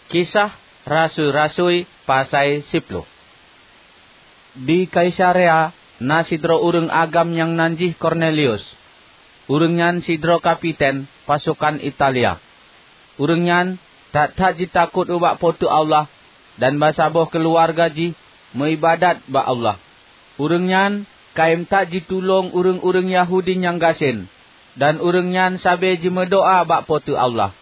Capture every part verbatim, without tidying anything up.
Kisah Rasui-rasui pasai siploh. Di Kaisarea na sidroe ureuëng agam nyang nan jih Kornelius. Ureuëng nyan sidroe kapiten pasokan Italia. Ureuëng nyan that-that jitakot ubak Po teu Allah, dan bansaboh keuluwarga jih meuiébadat bak Allah. Ureuëng nyan kayém that jitulông ureuëng-ureuëng Yahudi nyang gasien, dan ureuëng nyan sabe jimeudoá bak Po teu Allah.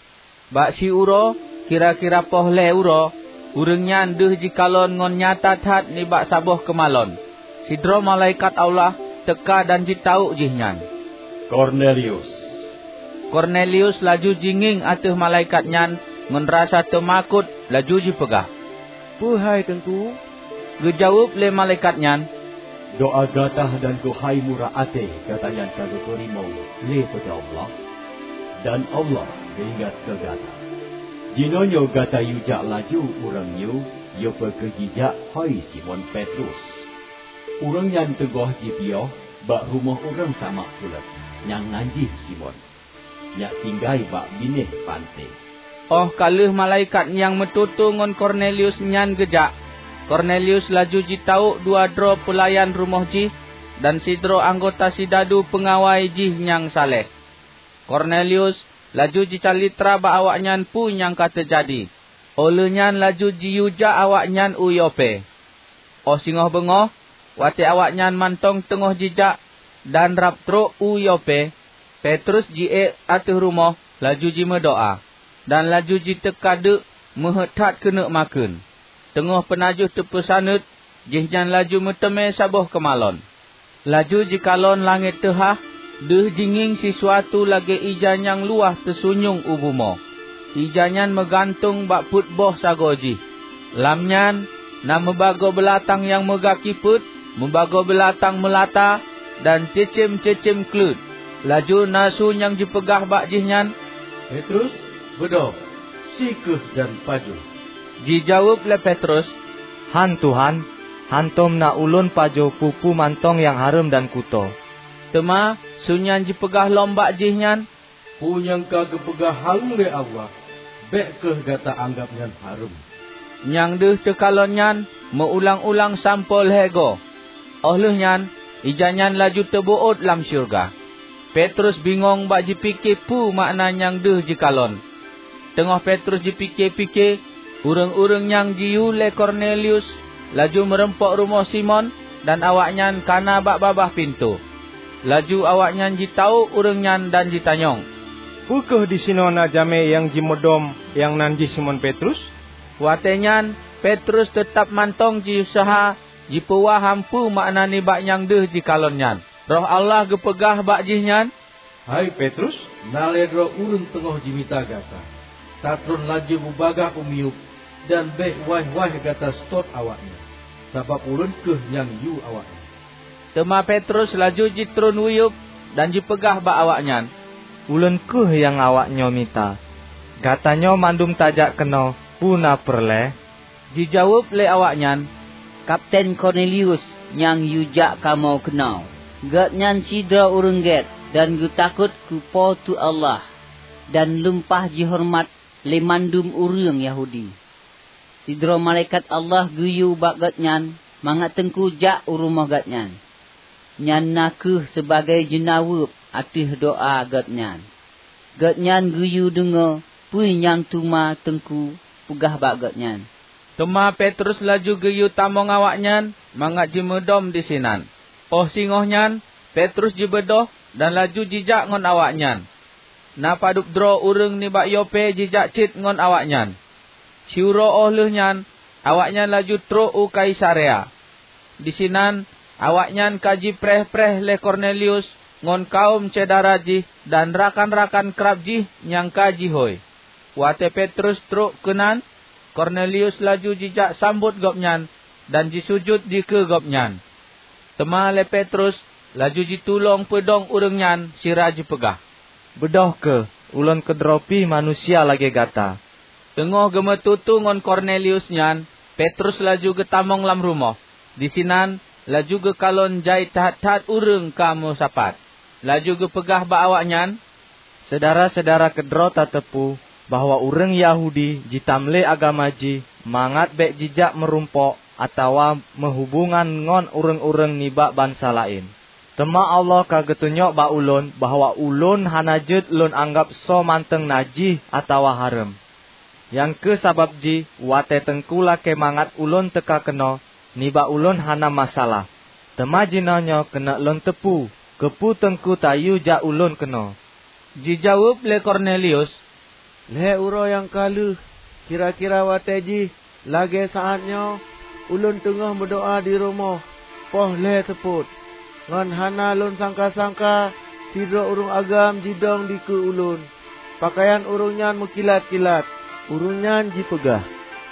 Bak siuroe, kira-kira poh lhée uroe, ureuëng nyan deuh jikalon ngon nyata that nibak saboh keumalon. Sidroe malaikat Allah teuka dan jitawök jihnyan, "Kornelius!" Kornelius laju jingieng ateueh malaikat nyan ngon rasa teumakot, laju jipeugah, "Peue hai, Teungku?" Geujaweueb lé malaikat nyan, "Doá gata dan keuhai murah até gata nyan ka geupeurimong lé Po teu Allah, dan Allah geuingat keu gata. Jinoenyoe gata yue jak laju ureuëng nyoe Yope keu jijak hôi Simon Petrus. Ureuëng nyan teungoh jipiôh bak rumoh ureuëng samak kulét nyang nan jih Simon, nyang tinggai bak binéh panté." Óh ka lheueh malaikat nyang meututoe ngon Kornelius nyan geujak, Kornelius laju jitawök dua droe peulayan rumoh jih dan sidroe anggota sidadu peungawai jih nyang saleh. Kornelius laju jicalitra bak awaknyan peue nyang ka teujadi. Óh lheueh nyan laju jiyue jak awaknyan u Yope. Óh singoh beungoh, watée awaknyan mantong teungoh jijak dan rab trok u Yope, Petrus jiék ateueh rumoh laju jimeudoá, dan laju jiteuka deuk meuheuét that keuneuk makheun. Teungoh peunajoh teupeusaneut, jihnyan laju meuteumé saboh keumalon. Laju jikalon langét teuhah, deuh jingieng sisuatu lagée ija nyang luwah teusunyueng u bumoe. Ija nyan meugantong bak peuet boh sagoe jih. Lam nyan na meubagoe beulatang nyang meugaki peuet, meubagoe beulatang meulata, dan ceucém-ceucém kleuet. Laju na su nyang jipeugah bak jihnyan, "Petrus, beudôh, sie kheueh dan pajoh." Jijaweueb lé Petrus, "Hán, Tuhan, hántom na ulôn pajoh peue-peue mantong nyang hareuem dan kutoe." Teuma su nyan jipeugah lom bak jihnyan, "Peue nyang ka geupeugah haleue lé Allah, bék kheueh gata anggab nyan hareuem." Nyang deuh teukalon nyan meu-ulang-ulang sampoe lhée goe. Óh lheueh nyan, ija nyan laju teubeuôt lam syeuruga. Petrus bingong bak jipike peue makna nyang deuh jikalon. Teungoh Petrus jipike-pike, ureuëng-ureuëng nyang jiyue lé Kornelius laju meurumpok rumoh Simon dan awaknyan ka na bak babah pintoe. Laju awaknyan jitawök ureuëng nyan dan jitanyong, "Peu kheueh disinoe na jamé nyang jimeudom nyang nan jih Simon Petrus?" Watée nyan Petrus teutab mantong jiuseuha jipeuwaham peue makna nibak nyang deuh jikalon nyan. Roh Allah geupeugah bak jihnyan, "Hai Petrus, na lhée droe ureuëng teungoh jimita gata. Tatron laju bubagaih u miyueb dan bék waih-waih gata seutôt awaknyan, sabab ulôn kheueh nyang yue awaknyan." Teuma Petrus laju jitron u yueb dan jipeugah bak awaknyan, "Ulôn kheueh nyang awaknyoe mita. Gatanyoe mandum tajak keunoe peue na peureulée?" Jijaweueb lé awaknyan, "Kapten Kornelius nyang yue jak kamoe keunoe. Gobnyan sidroe ureuëng gét dan geutakot keu Po teu Allah dan lumpah jihoreumat lé mandum ureuëng Yahudi. Sidroe malaikat Allah geuyue bak gobnyan mangat Teungku jak u rumoh gobnyan. Nyan na kheueh sibagoe jeunaweueb ateueh doá gobnyan. Gobnyan geuyue deungoe peue nyang teuma Teungku peugah bak gobnyan." Teuma Petrus laju geuyue tamong awaknyan mangat jimeudom disinan. Óh singoh nyan, Petrus jibeudôh dan laju jijak ngon awaknyan. Na padub droe ureuëng nibak Yope jijak cit ngon awaknyan. Siuroe óh lheueh nyan, awaknyan laju trok u Kaisarea. Disinan awaknyan ka jipreh-preh lé Kornelius ngon kawöm syedara jih dan rakan-rakan krab jih nyang ka jihôi. Watée Petrus trok keunan, Kornelius laju jijak sambot gobnyan dan jisujut dikeue gobnyan. Teuma lé Petrus laju jitulông peudong ureuëng nyan sira jipeugah, "Beudôh kheueh, ulôn keudroe pih manusia lagée gata." Teungoh geumeututoe ngon Kornelius nyan, Petrus laju geutamong lam rumoh. Disinan laju geukalon jai that-that ureuëng ka meusapat. Laju geupeugah bak awaknyan, "Syedara-syedara keudroe tateupeue bahwa ureuëng Yahudi jitam lé agama jih mangat bék jijak meurumpok atawa meuhubongan ngon ureuëng-ureuëng nibak bansa laén. Teuma Allah ka geutunyok bak ulôn bahwa ulôn hana jeuet lôn anggab soe mantong najih atawa hareuem. Nyang kheueh sabab jih watée Teungku lakée mangat ulôn teuka keunoe, nibak ulôn hana masalah. Teuma jinoenyoe keuneuk lôn teupeue, keupeue Teungku tayue jak ulôn keunoe." Jijaweueb lé Kornelius, "Lhée uroe nyang ka lheueh, kira-kira watée jih lagée saát nyoe, ulôn teungoh meudoá di rumoh poh lhée seupôt. Ngon hana lôn sangka-sangka, sidroe ureuëng agam jidong dikeue ulôn. Peukayan ureuëng nyan meukilat-kilat. Ureuëng nyan jipeugah,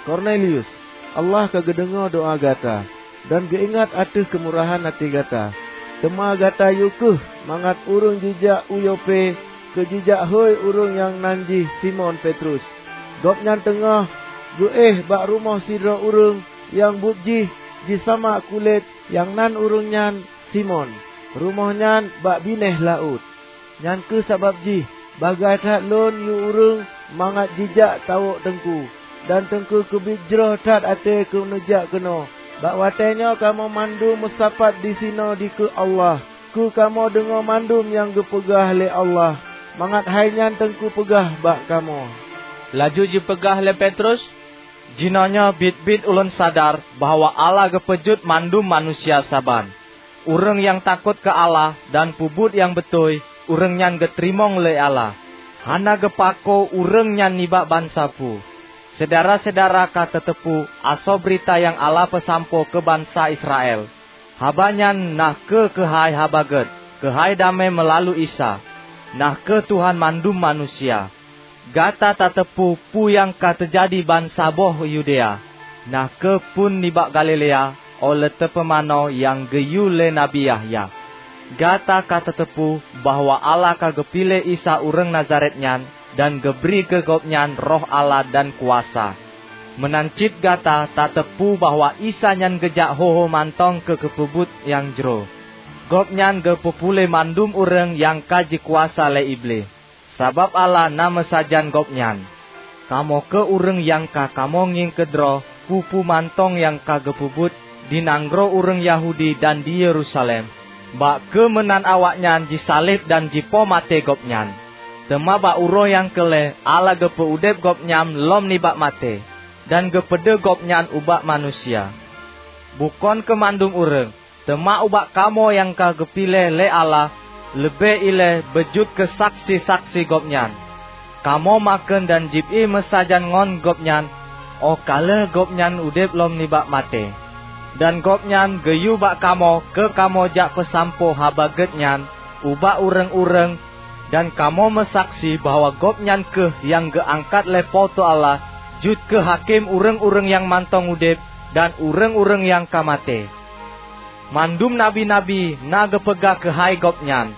'Kornelius, Allah ka geudeungoe doá gata, dan geuingat ateueh keumurahan até gata. Teuma gata yue kheueh mangat ureuëng jijak u Yope keu jijak hôi ureuëng nyang nan jih Simon Petrus. Gobnyan teungoh geuéh bak rumoh sidroe ureuëng nyang buet jih jisamak kulét, nyang nan ureuëng nyan Simon, rumoh nyan bak binéh laôt. Nyan kheueh sabab jih bagaih that lôn yue ureuëng mangat jijak tawök Teungku, dan Teungku keubiet jroh that até keu neujak keunoe. Bak watée nyoe kamoe mandum meusapat disinoe dikeue Allah, keu kamoe deungoe mandum nyang geupeugah lé Allah, mangat hai nyan Teungku peugah bak kamoe." Laju jipeugah lé Petrus, "Jinoenyoe biet-biet ulôn sadar bahwa Allah geupeujeuet mandum manusia saban. Ureuëng nyang takot keu Allah dan peubuet nyang beutôi, ureuëng nyan geuteurimong lé Allah. Hana geupako ureuëng nyan nibak bansa peue. Syedara-syedara ka tateupeue asoe beurita nyang Allah peusampoe keu bansa Israel. Haba nyan na kheueh keuhai Haba Gét, keuhai damé meulalu Isa, na kheueh Tuhan mandum manusia. Gata tateupeue peue nyang ka teujadi bansaboh Yudea, na kheueh phon nibak Galilea, óh lheueh teupumanö nyang geuyue lé Nabi Yahya. Gata ka tateupeue bahwa Allah ka geupiléh Isa ureuëng Nazaret nyan dan geubri keu Gobnyan Roh Allah dan kuasa. Meunan cit gata tateupeue bahwa Isa nyan geujak ho-ho mantong keu keupeubuet nyang jroh. Gobnyan geupeupuléh mandum ureuëng nyang ka jikuasa lé Iblih. Sabab Allah na meusajan Gobnyan. Kamoe kheueh ureuëng nyang ka kamoe ngieng keudroe peue-peue mantong nyang ka geupeubuet di nanggroe ureuëng Yahudi dan di Yerusalem, bak keu meunan awaknyan jisaleb dan jipoh maté Gobnyan. Teuma bak uroe nyang keu lhée Allah geupeu udeb Gobnyan lom nibak maté, dan geupeudeuh Gobnyan ubak manusia. Bukon keu mandum ureuëng, teuma ubak kamoe nyang ka geupiléh lé Allah leubeh ilée beujeuet keu saksi-saksi Gobnyan. Kamoe makheun dan jieb-éh meusajan ngon Gobnyan óh ka lheueh Gobnyan udeb lom nibak maté. Dan Gobnyan geuyue bak kamoe keu kamoe jak peusampoe Haba Gét nyan ubak ureuëng-ureuëng, dan kamoe meusaksi bahwa Gobnyan kheueh nyang geuangkat lé Po teu Allah jeuet keu hakém ureuëng-ureuëng nyang mantong udeb dan ureuëng-ureuëng nyang ka maté. Mandum nabi-nabi na geupeugah keuhai Gobnyan.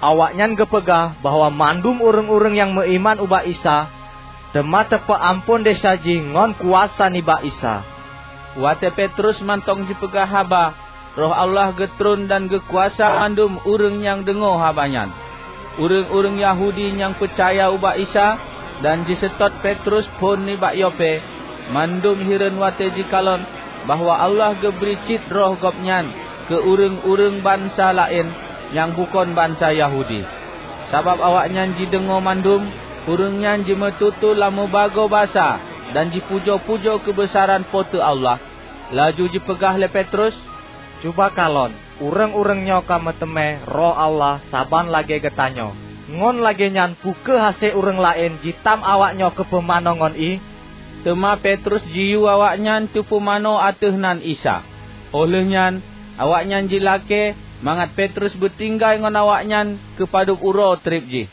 Awaknyan geupeugah bahwa mandum ureuëng-ureuëng nyang meuiman ubak Isa, teuma teupeu amphon desya jih ngon kuasa nibak Isa." Watée Petrus mantong jipeugah haba, Roh Allah geutreun dan geukuasa mandum ureuëng nyang deungoe haba nyan. Ureuëng-ureuëng Yahudi nyang peucaya ubak Isa dan jiseutôt Petrus phon nibak Yope, mandum hireuen watée jikalon bahwa Allah geubri cit Roh Gobnyan keu ureuëng-ureuëng bansa laén nyang bukon bansa Yahudi. Sabab awaknyan jideungoe mandum, ureuëng nyan jimeututoe lam meubagoe basa dan jipujoe-pujoe keubeusaran Po teu Allah. Laju jipeugah lé Petrus, "Cuba kalon, ureuëng-ureuëng nyoe ka meuteumé Roh Allah saban lagée geutanyoe. Ngon lagée nyan peu kheueh hase ureuëng laén jitam awaknyoe keu pumanö ngon ié?" Teuma Petrus jiyue awaknyan teupumanö ateueh nan Isa. Óh lheueh nyan, awaknyan jilakée mangat Petrus beutinggai ngon awaknyan keu padub uroe treb jih.